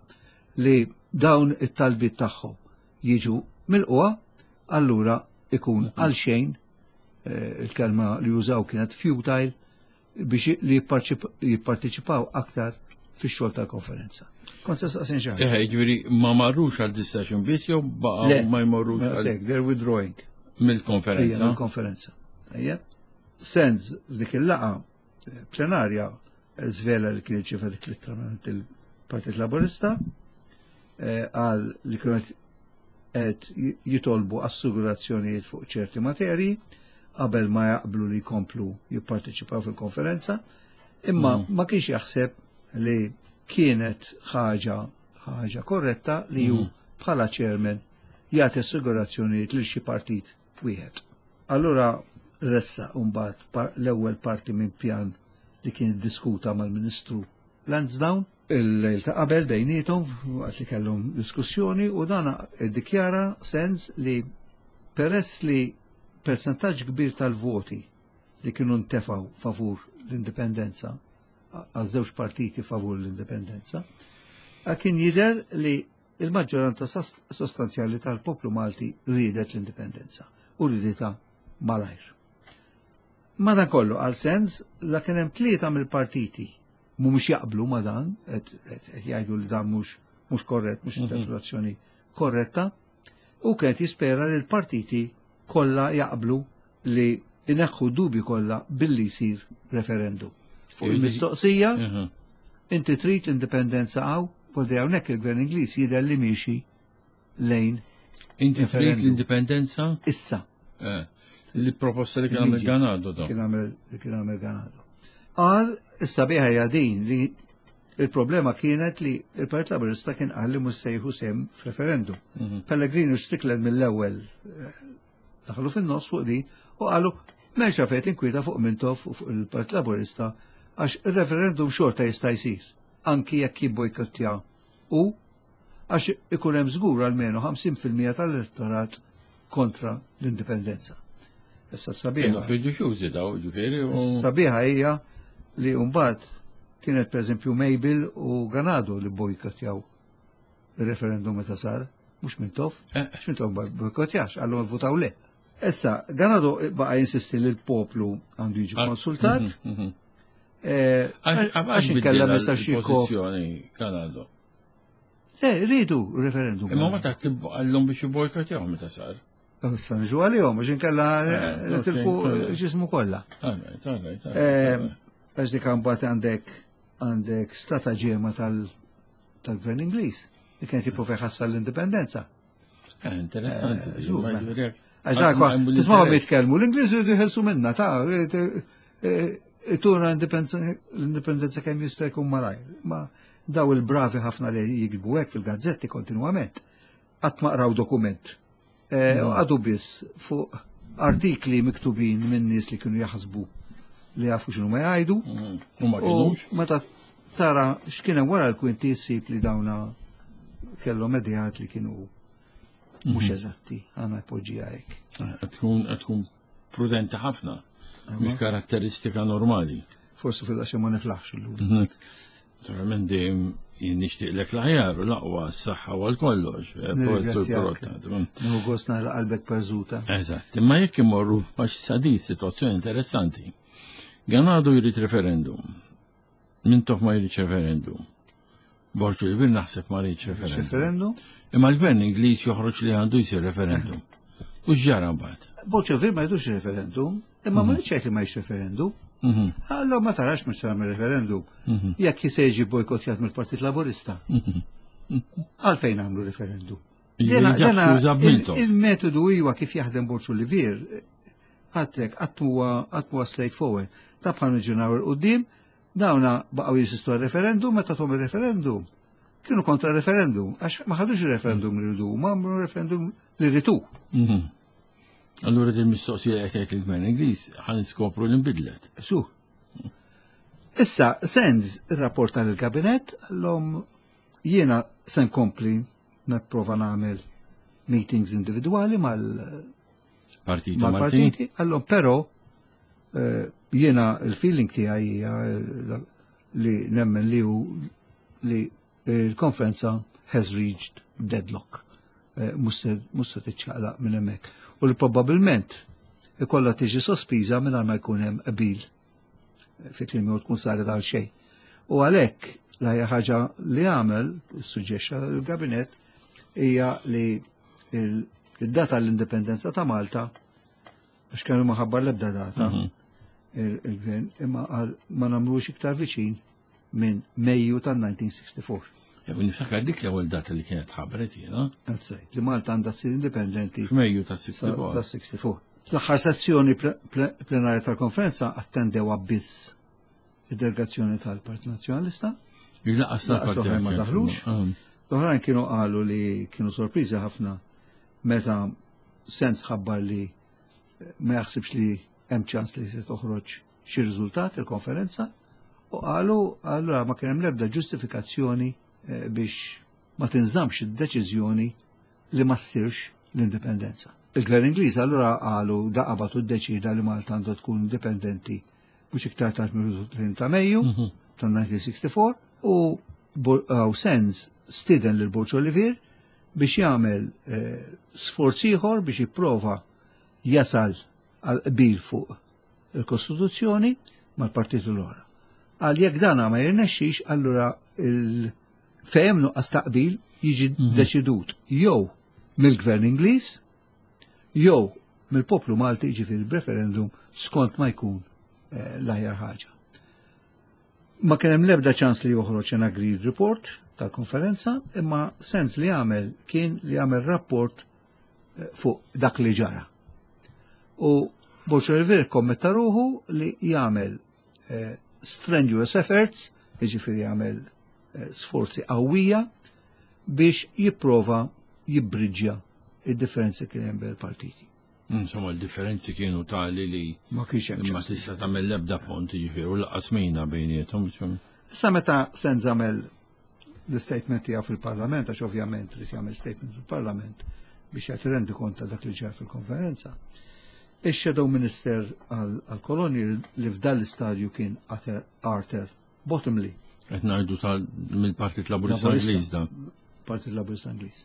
li dawn it-talbiet tagħhom jiġu milqugħa, allura ikun għal xejn, eh, il-kelma li jużaw kienet futile, biex li jipparċip- jipparteċipaw aktar fix-xogħol tal-konferenza. Kont se saqsin xi ħaġa. Eħe, ġifieri ma marrux għal discussion biss jew baqgħu Le, ma jmorrux għal Sek, they're withdrawing. mill-konferenza? Ejja, mill-konferenza. Ejja. Sands f'dik il-laqgħa eh, plenarja eh, żvela li kien irċieva dik l-ittra minn il-Partit Laburista, eh, għal li kienu qed jitolbu assigurazzjonijiet fuq ċerti materji qabel ma jaqblu li jkomplu jipparteċipaw fil-konferenza, imma ma kienx jaħseb li kienet ħaġa ħaġa korretta li ju bħala chairman jagħti assigurazzjonijiet lil xi partit wieħed. Allura ressa mbagħad par- l-ewwel parti minn pjan li kien diskuta mal-Ministru Lansdowne il-lejl ta' qabel bejniethom waqt li kellhom diskussjoni, u dana iddikjara Sands li peress li Percentaġġ kbir tal-voti li kienu ntefgħu favur l-indipendenza, għal żewġ partiti favur l-indipendenza, kien jidher li il-maġġoranza sostanzjali tal-poplu Malti riedet l-indipendenza u riditha malajr. Madankollu għal Sands la kien hemm tlieta mill-partiti mhumiex jaqblu ma dan, qed jgħidu li dan mhux mhux korrett, mhux interpretazzjoni korretta, u kienet jispera li l-partiti kollha jaqblu li ineħħu dubi kollha billi jsir referendum. Fuq il-mistoqsija, inti trid l-indipendenza għaw, podri hawnhekk il-Gvern Ingliż jidher li miexi lejn. Inti trid l-indipendenza? Issa. Li proposta li kien għamel Ganado. Kien għamel Ganado. Qal, issa biha hija din li il-problema kienet li il-Partit Laburista kien qal li mhux se jieħu sehem f'referendum. Pellegrini u Strickland mill-ewwel daħlu fin-nofs fuq din u qalu m'hemmx għalfejn tinkwieta fuq Mintoff u fuq il-Partit Laburista għax il-referendum xorta jista' jsir anki jekk jibbojkottja u għax ikun hemm żgur almenu ħamsin fil-mija tal-elettorat kontra l-indipendenza. Issa sabiħa. Fiduċjużi daw, ġifieri. Sabiħa hija li mbagħad kienet pereżempju Mabel u Ganado li bojkottjaw il-referendum meta sar, mhux Mintoff, mhux Mintoff ma bojkottjax, għallhom votaw le. Issa, Ganado baqa' jinsisti li l-poplu għandu jiġi konsultat. Għax inkella ma jistax Ganado. Le, rridu referendum. Imma ma taħt għallhom biex jibbojkottjaw meta sar. Issa nġu għalihom, għax inkella tilfu ġismu kollha. Għax dik mbagħad għandek għandek strataġema tal-gvern Ingliż li kienet jipprova jħassar l-indipendenza. Interessanti. Għax dak, tisma' jitkellmu, l-Ingliż jridu jħelsu minna, ta' tuna l-indipendenza kemm jista' jkun malajr. Ma daw il-bravi ħafna li jikbu hekk fil-gazzetti kontinwament. Qatt ma qraw dokument. Għadu biss fuq artikli miktubin minn nies li kienu jaħsbu li jafu x'inhu ma jgħidu. U ma kinux. Meta tara x'kien hemm wara l-kwinti ssib li dawna kellhom ideat li kienu mhux eżatti, għandna jpoġġiha hekk. Qed tkun prudenti ħafna, mhux karatteristika normali. Forsi fil-għaxja ma niflaħx illum. Naturalment dejjem jien nixtieqlek l-aħjar u l-aqwa s-saħħa u għal-kollox. Nieħu gost nara qalbek perżuta. Eżatt, imma jekk imorru għax sadit sitwazzjoni interessanti. Ganado jrid referendum. Mintoff ma jrid referendum. Borg Olivier naħseb ma jridx referendum. Referendum? Imma l-gvern Ingliż joħroġ li għandu jsir referendum. U x'ġara mbagħad? Borg Olivier ma jridux referendum, imma ma rridx li ma jridx referendum. Allora ma tarax mhux tagħmel referendum. Jekk se jiġi bojkottjat mill-Partit Laburista. Għalfejn għamlu referendum? Il-metodu huwa kif jaħdem Borg Olivier, għatlek qatt huwa straightforward. Ta' bħal niġġeneraw il-qudiem, dawna baqgħu jinsistu għal-referendum, meta tom il-referendum. Kienu kontra referendum, għax ma ħadux il-referendum li rridu, ma għamlu referendum li rritu. Allura din mistoqsija qed jgħid il-Gvern Ingliż ħa niskopru li nbidlet. Su. Issa, Sands irrapporta lill-Kabinett l-om jiena se nkompli nipprova nagħmel meetings individwali mal-partiti mal-partiti, għallhom però jiena il-feeling tiegħi hija li nemmen li hu li l-konferenza has reached deadlock. Mhux se tiċċaqlaq minn hemmhekk. U li probabbilment ikollha tiġi sospiża mingħajr ma jkun hemm qbil fi kliem tkun saret għal xejn. U għalhekk l-ħajja ħaġa li għamel, suġġexxa l-Gabinett, hija li il-data l-indipendenza ta' Malta, għax kienu ma ħabbar l-ebda data, il-gvern, imma għal ma nagħmlux iktar viċin minn Mejju tan-nineteen sixty-four. Niftakar dik l-ewwel data li kienet ħabbret jiena. Eżatt, li Malta għandha ssir indipendenti f'Mejju ta' sixty-four. Ta' sixty-four. L-aħħar sessjoni plenarja tal-konferenza attendewha biss id-delegazzjoni tal-Partit Nazzjonalista. Il-laqas tal-Partit L-oħrajn ma daħlux. L-oħrajn kienu qalu li kienu sorpriżi ħafna meta Sands ħabbar li ma jaħsibx li hemm ċans li se toħroġ xi riżultat il-konferenza u qalu allura ma kien hemm l-ebda ġustifikazzjoni biex ma tinżamx id-deċiżjoni li ma ssirx l-indipendenza. Il-Gvern Ingliż allura qalu daqabatu ddeċida li Malta għandha tkun indipendenti mhux iktar tard mill ta' Mejju tal-elf disa' mija u sitta u sittin u u Sands stieden lil Borg Olivier biex jagħmel eh, sforz ieħor biex jipprova jasal għal qbil fuq il-Kostituzzjoni mal-partiti l-oħra. Għal jekk dana ma jirnexxix, allura il-fejem nuqqas ta' qbil jiġi deċidut jew mill-Gvern Ingliż jew mill-poplu Malti, ġifieri b'referendum, skont ma jkun eh, l-aħjar ħaġa. Ma kien hemm l-ebda ċans li joħroġ an agreed report tal-konferenza, imma Sands li għamel kien li għamel rapport eh, fuq dak li ġara. U Borg Olivier kommetta ruħu li jagħmel eh, strenuous efforts, jiġifieri jagħmel eh, sforzi qawwija biex jipprova jibbriġġja id-differenzi kien hemm bejn il-partiti. Insomma, l-differenzi kienu tali li Ma kienx hemm ma ċans. tista' tagħmel l-ebda font, jiġifieri, u lanqas mina bejniethom. Issa, meta Sands għamel l-statement tiegħu fil-Parlament, għax ovvjament irid jagħmel statement fil-Parlament biex jagħti rendi kont ta' dak li ġara fil-konferenza. Ix-Shadow Minister għal-kolonji li f'dan l-istadju kien Arthur- Arthur Bottomley, Qed ngħidu tal mill-Partit Laburista Laburista. Ingliż da. Partit Laburista Ingliż.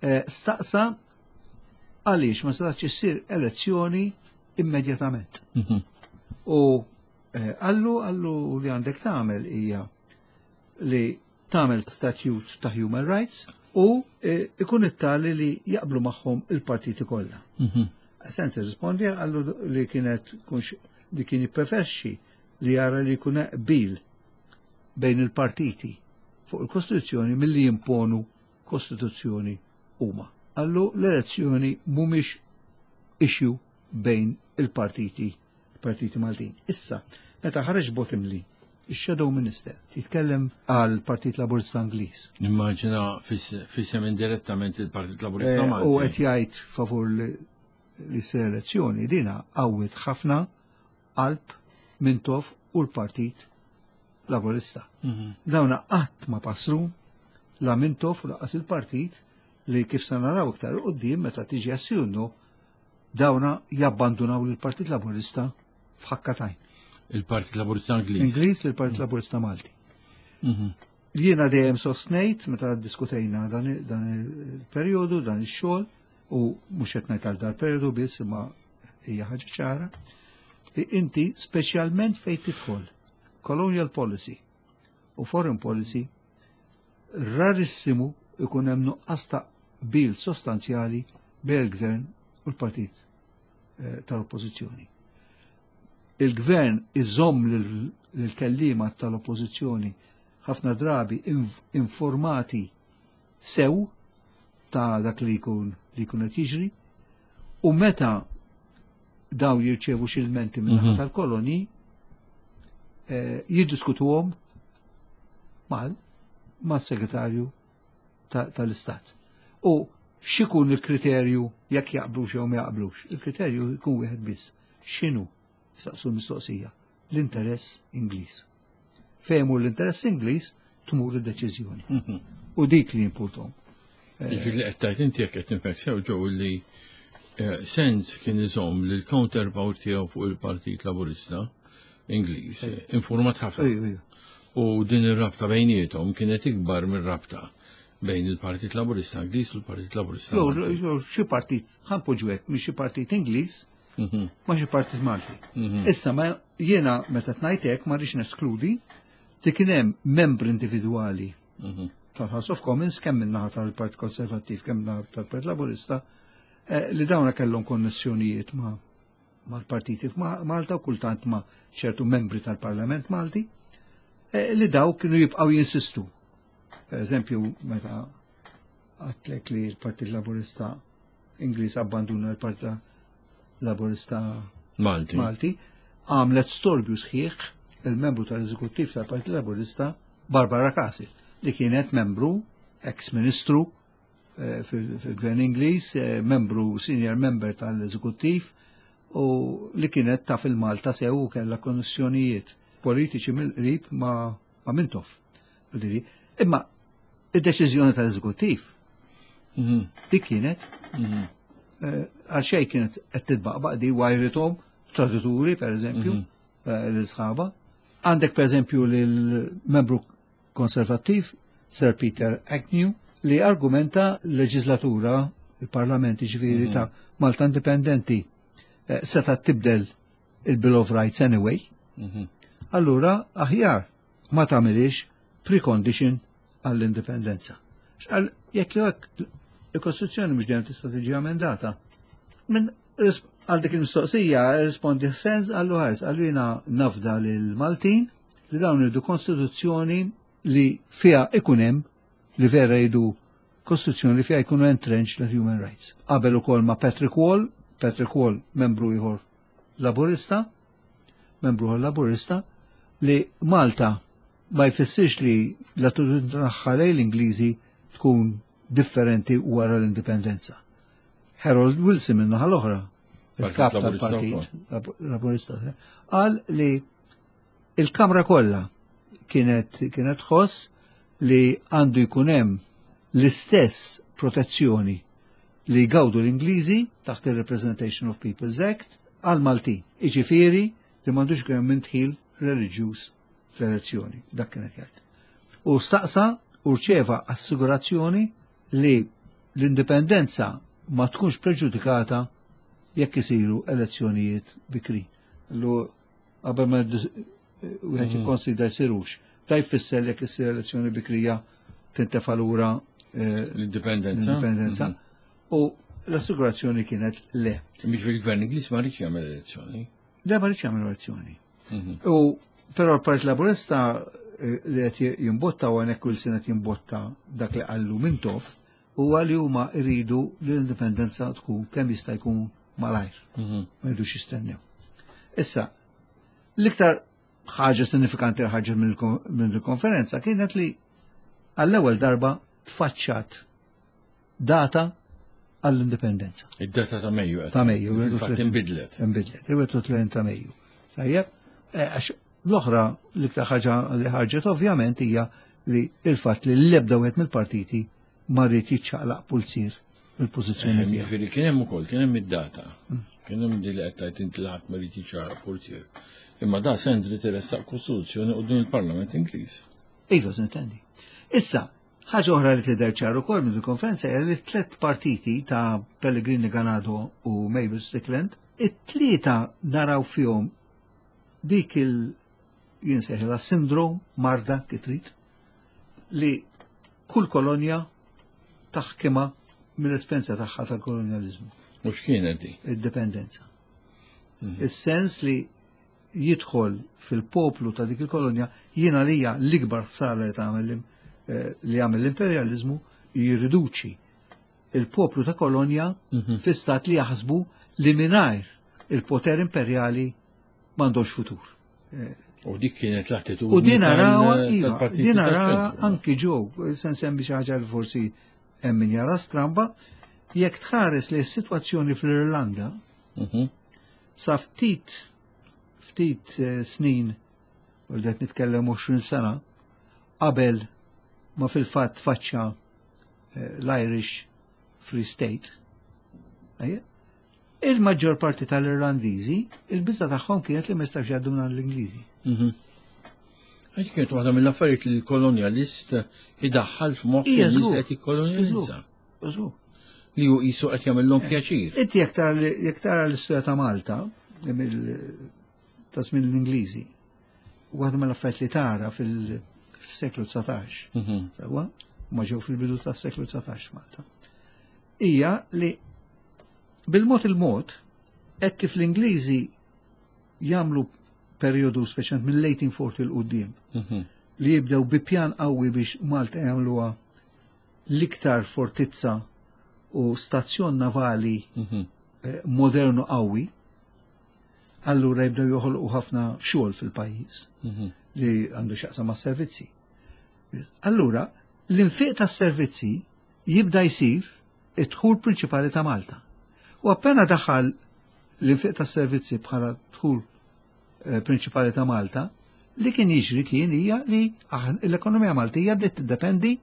Eh, Staqsa għaliex ma setax issir elezzjoni immedjatament. Mhm. U eh, għallu għallu li għandek tagħmel hija li tagħmel statute ta' human rights u eh, ikun it-tali li jaqblu magħhom il-partiti kollha. Mhm. Sands rispondi għallu li kienet kunx li kien jippreferixxi li jara li jkun qbil bejn il-partiti fuq il-Kostituzzjoni milli jimponu Kostituzzjoni huma. Għallu l-elezzjoni mhumiex issue bejn il-partiti partiti Maltin. Issa, meta ħareġ Bottomley, il-Shadow Minister, titkellem għal Partit Laburista Ingliż. Immaġina f'isem indirettament il-Partit Laburista Eh, Malti. U qed jgħid favur li li ssir elezzjoni, dina qawwiet ħafna qalb Mintoff u l-Partit Laburista. Mhm. Dawna qatt ma passru la Mintoff u lanqas il-partit li, kif se naraw iktar quddiem meta tiġi assjunnu, dawna jabbandunaw lill-Partit Laburista f'ħakka t'għajn. Il-Partit Laburista Ingliż. Ingliż lill-Partit Laburista Malti. Mhm. Jiena dejjem sostnejt meta diskutejna dan dan il-perjodu, dan ix-xogħol, u mhux qed ngħid għal dal-perjodu biss, imma hija ħaġa ċara li inti, speċjalment fejn tidħol colonial policy u foreign policy, rarissimu ikun hemm nuqqas ta' qbil sostanzjali bejn il-gvern u l-partit eh, tal-oppożizzjoni. Il-gvern iżomm lil-kellima tal-oppożizzjoni ħafna drabi inf informati sew ta' dak li jkun li jkun qed jiġri, u meta daw jirċevu xi ilmenti minn Mhm. tal-koloni eh, jiddiskutuhom mal mas-segretarju ta- tal-Istat. U x'ikun il-kriterju jekk jaqblux jew ma jaqblux? Il-kriterju jkun wieħed biss. X'inhu? Saqsu l-mistoqsija. L-interess Ingliż. Fejn l-interess Ingliż tmur id-deċiżjoni. Mhm. U dik li importom. Ġifieri li qed tgħid inti, jekk qed nifhmek sew ġew, li eh, Sands kien iżomm li l-counterpart tiegħu fuq il-Partit Laburista Ingliż eh, informat ħafna. Ejju, ejju. U din ir-rabta bejniethom kienet ikbar mir-rabta bejn il-Partit Laburista Ingliż u l-Partit Laburista Jew Malti. jew xi partit, ħa npoġġu hekk, minn xi partit Ingliż Mhm, ma xi partit Malti. mhm. Issa, ma jiena meta tnajt hekk ma rridx neskludi li kien hemm membri individwali Mhm. tal-House of Commons, kemm min-naħa tal-Partit Konservattiv, kemm min-naħa tal-Partit Laburista, eh, li dawna kellhom konnessjonijiet ma' mal-partiti f'Malta u kultant ma' ċertu membri tal-Parlament Malti, eh, li daw kienu jibqgħu jinsistu. Per eżempju, meta għedtlek li l-Partit Laburista Ingliż abbanduna l-Partit Laburista Malti. Malti, għamlet storbju sħiħ il-membru tal-eżekuttiv tal-Partit Laburista Barbara Castle, li kienet membru, ex-ministru eh, fil- fil-Gvern Ingliż, eh, membru, senior member tal-eżekuttiv, u li kienet taf il-Malta sew u kellha konnessjonijiet politiċi mill-qrib ma, ma Mintoff. Vuol Imma id-deċiżjoni tal-eżekuttiv Mhm, dik kienet mhm. Għal xejn kienet qed titbaqbaq di wajrithom tradituri, per eżempju, l-sħaba. Għandek per eżempju l-membru konservattiv Sir Peter Agnew li argumenta l-leġislatura, il-parlament ġifieri ta' Malta Indipendenti seta' tibdel il-Bill of Rights anyway. Allura aħjar ma tagħmilix precondition għall-indipendenza. Jekk jekk il-Kostituzzjoni mhux dejjem tista' tiġi emendata. Min għal dik il-mistoqsija rispondi Sands għallu ħares, għallu jiena nafda lil Maltin li dawn iridu kostituzzjoni li fiha ikun hemm li vera jridu kostituzzjoni li fiha jkunu entrenched l-human rights. Qabel ukoll ma' Patrick Wall, Patrick Wall membru ieħor Laburista, membru ieħor Laburista, li Malta ma jfissirx li l-attitudni tagħha lejn l-Ingliżi tkun differenti wara l-indipendenza. Harold Wilson minn naħa l-oħra, il-kap tal-Partit Laburista, qal li il-Kamra kollha kienet kienet tħoss li għandu jkun hemm l-istess protezzjoni li jgawdu l-Ingliżi taħt il-Representation of People's Act għal Maltin. Iġifieri li m'għandux jkun hemm indħil reliġjuż fl-elezzjoni, dak kienet jgħid. U staqsa u rċeva assigurazzjoni li l-indipendenza ma tkunx preġudikata jekk isiru elezzjonijiet bikri. Lu qabel ma wieħed jikkonsidra jsirux. Ta' jfisser jekk issir elezzjoni bikrija tintefa' lura l-indipendenza. L-indipendenza. U l-assigurazzjoni kienet le. Biex fil-gvern Ingliż ma rridx jagħmel elezzjoni. Le, ma rridx jagħmel elezzjoni. U però l-Partit Laburista li qed jimbotta u għanek Wilson qed jimbotta dak li qallu Mintoff huwa li huma jridu li l-indipendenza tkun kemm jista' jkun malajr. Ma jridux jistennew. Issa, l-iktar ħaġa sinifikanti li ħarġet minn il-konferenza kienet li għall-ewwel darba tfaċċat data għall-indipendenza. Id-data ta' Mejju. Ta' Mejju. Fil-fatt inbidlet. Inbidlet, il-wieħed u tletin ta' Mejju. Tajjeb, għax l-oħra l-iktar ħaġa li ħarġet ovvjament hija li il-fatt li l-ebda wieħed mill-partiti ma ried jiċċaqlaq pulzier mill-pożizzjoni tiegħu. Jiġifieri kien hemm ukoll, kien hemm id-data. Kien hemm di li qed tgħid inti li ħadd ma ried jiċċaqlaq pulzier. Imma da Sands li tressaq kostituzzjoni quddiem il-Parlament Ingliż. Iva, s'intendi. Issa, ħaġa oħra li tidher ċar ukoll minn il-konferenza hija li tliet partiti ta' Pellegrini, Ganado u Mabel Strickland, it-tlieta naraw fihom dik il jinsejħilha sindrom, marda kitrit, li kull kolonja taħkima mill-esperjenza tagħha tal-kolonjalizmu. U x'kienet di? Id-dipendenza. Is-sens li jidħol fil-poplu ta' dik il-kolonja jiena lija l-ikbar ħsara li tagħmel li jagħmel l-imperjalizmu jirriduċi il-poplu ta' kolonja fi stat li jaħsbu li mingħajr il-poter imperjali m'għandux futur. U dik kienet l-attitudni U din narawha, iva, tal-partiti din narawha tal-ċentru. anki ġew, se nsemmi xi ħaġa li forsi hemm min jara stramba, jekk tħares li s-sitwazzjoni fl-Irlanda Mhm. sa ftit ftit eh, snin, u qed nitkellem għoxrin sena, qabel ma fil-fatt faċċa eh, l-Irish Free State, ejja, il-maġġor parti tal-Irlandiżi, il-biża tagħhom kienet li ma jistgħux jgħaddu minn l-Ingliżi. Mhm. Għax kienet waħda mill-affarijiet li l-kolonjalist idaħħal f'moħħ Ija, in-nies żgur. qed jikkolonjalizza. Żgur. Li hu qisu qed jagħmilhom pjaċir. Inti jekk tara jekk tara l-istorja ta' Malta, mill- ta' żmien l-Ingliżi, waħda mill-affarijiet li tara fil- fis-seklu dsatax, Mhm. sewwa, ma ġew fil-bidu tas-seklu dsatax Malta, hija li bil-mod il-mod, hekk kif l-Ingliżi jagħmlu perjodu speċjalment mill-eighteen forty 'l quddiem Mhm. li jibdew bi pjan qawwi biex Malta jagħmluha l-iktar fortizza u stazzjon navali Mhm. eh, modernu qawwi, allura jibdew joħolqu ħafna xogħol fil-pajjiż Mhm. li għandu x'jaqsam ma' servizzi. Allura, l-infiq tas servizzi jibda jsir id-dħul prinċipali ta' Malta. U appena daħal l-infiq tas servizzi bħala dħul eh, prinċipali ta' Malta, li kien jiġri kien hija li aħn- l-ekonomija Maltija bdiet tiddependi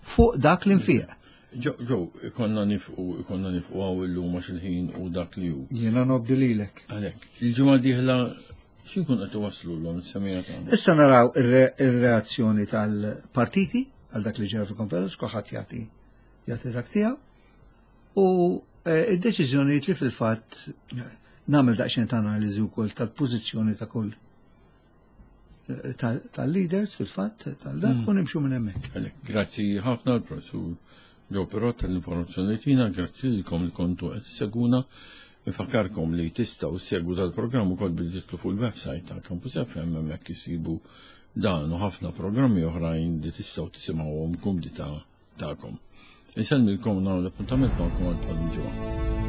fuq dak l-infiq. Ġo, konna nifqu, konna nifqu hawn illum għax il-ħin u dak li hu. Jiena nobdi lilek. Għalhekk, il-ġimgħa dieħla x'inkun qed iwasslu l semija tagħna? Issa naraw ir-reazzjoni tal-partiti għal dak li ġara fil-konferenza, kulħadd jagħti jagħti dak tiegħu. U eh, id-deċiżjonijiet li fil-fatt nagħmel daqsxejn ta' analiżi wkoll tal-pożizzjoni ta' kull eh, tal-leaders fil-fatt tal-dak mm. u nimxu minn hemmhekk. Grazzi ħafna l-professur Joe Perrott tal-informazzjoni li tina, grazzi lilkom li kontu qed isseguna. Infakkarkom li tistgħu ssegwu dal-programm ukoll billi tidħlu fuq il-website ta' Campus F M, hemmhekk issibu dan u ħafna programmi oħrajn li tistgħu tisimgħuhom kumdità tagħkom. Insellmilkom, nagħmel l-appuntament magħkom għal bħal ġimgħa.